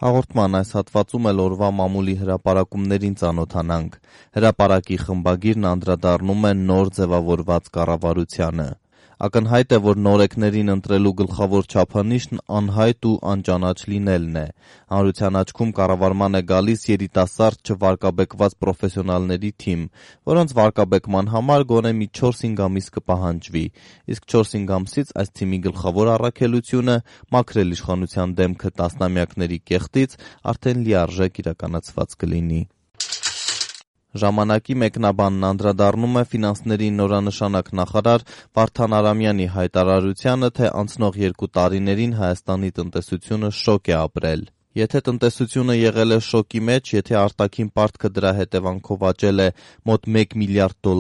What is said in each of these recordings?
Հաղորդման այս հատվածում էլ օրվա մամուլի հրապարակումներին ծանոթանանք։ Հրապարակի խմբագիրն անդրադառնում է նոր ձևավորված կառավարությանը։ Ակնհայտ է, որ նորեկներին ընտրելու գլխավոր չափանիշն անհայտ ու անճանաչ լինելն է։ Հանրության աչքում կառավարման է գալիս երիտասարդ չվարկաբեկված պրոֆեսիոնալների թիմ, որոնց վարկաբեկման համար գոնե մի 4-5 ամիս կպահանջվի, իսկ 4-5 ամսից այս թիմի գլխավոր առաքելությունը մաքրել իշխանության դեմքը տասնամյակների կեղտից արդեն լիարժեք իրականացված կլինի։ Ժամանակի մեկնաբանն անդրադառնում է ֆինանսների նորանշանակ նախարար Վարդան Արամյանի հայտարարությանը, թե անցնող 2 տարիներին Հայաստանի տնտեսությունը շոկ է ապրել։ Եթե տնտեսությունը եղել է շոկի մեջ, եթե արտաքին պարտքը դրա հետևանքով աճել է մոտ $1 միլիարդ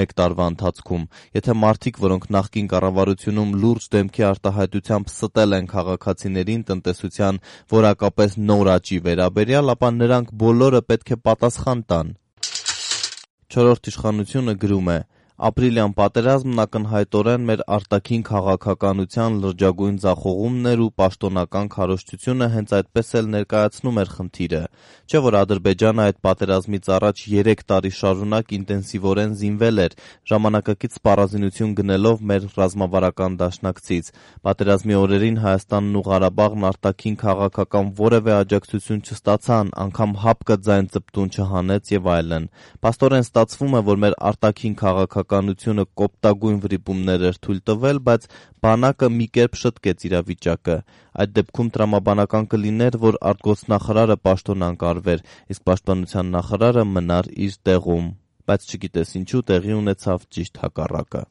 մեկ տարվա ընթացքում, եթե մարդիկ, որոնք նախկին կառավարությունում լուրջ դեմքի արտահայտությամբ ստել են քաղաքացիներին տնտեսության որակապես նոր աճի վերաբերյալ, ապա նրանք բոլորը պետք է պատասխան տան։ Չորրորդ իշխանությունը գրում է. «Ապրիլյան պատերազմն ակնհայտորեն մեր արտաքին քաղաքականության լրջագույն ձախողումն էր ու պաշտոնական քարոզչությունը հենց այդպես էլ ներկայացնում էր խնդիրը։ Չէ՞ որ Ադրբեջանը այդ պատերազմից առաջ 3 տարի շարունակ ինտենսիվորեն զինվել էր, ժամանակակից սպառազինություն գնելով մեր ռազմավարական դաշնակցից։ Պատերազմի օրերին Հայաստանն ու Ղարաբաղն արտաքին քաղաքական որևէ աջակցություն չստացան, անգամ հապկը ձայն ծպտուն չհանեց եւ այլն։ Փաստորեն ստացվում է, որ մեր արտաքին քաղաքականությունը կոպտագույն վրիպումներ էր թույլ տվել, բայց բանակը մի կերպ շտկեց իրավիճակը։ Այդ դեպքում տրամաբանական կլիներ, որ արտգործնախարարը պաշտոնանկարվեր, իսկ պաշտպանության նախարարը մնար իր տեղում։ Բայց չգիտես ինչու տեղի ունեցավ ճիշտ հակառակը»։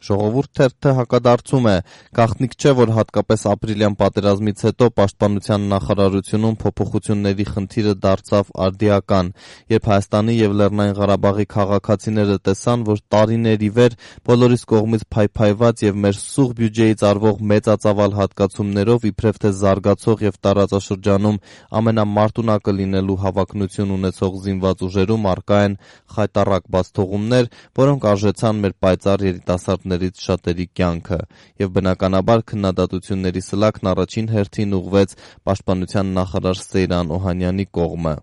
Ժողովուրդ թերթը հակադարձում է. «Գաղտնիք չէ, որ հատկապես ապրիլյան պատերազմից հետո պաշտպանության նախարարությունում փոփոխությունների խնդիրը դարձավ արդիական, երբ Հայաստանի եւ Լեռնային Ղարաբաղի քաղաքացիները տեսան, որ տարիներ ի վեր բոլորիս կողմից փայփայված եւ մեր սուղ բյուջեից արվող մեծածավալ հատկացումներով իբրև թե զարգացող եւ տարածաշրջանում ամենամարտունակը լինելու հավակնություն ունեցող զինված ուժերում առկա են խայտառակ բացթողումներ, որոնք արժեցան մեր պայծառ երիտասարդներից շատերի կյանքը, եւ բնականաբար քննադատությունների սլաքն առաջին հերթին ուղղվեց պաշտպանության նախարար Սեյրան Օհանյանի կողմը։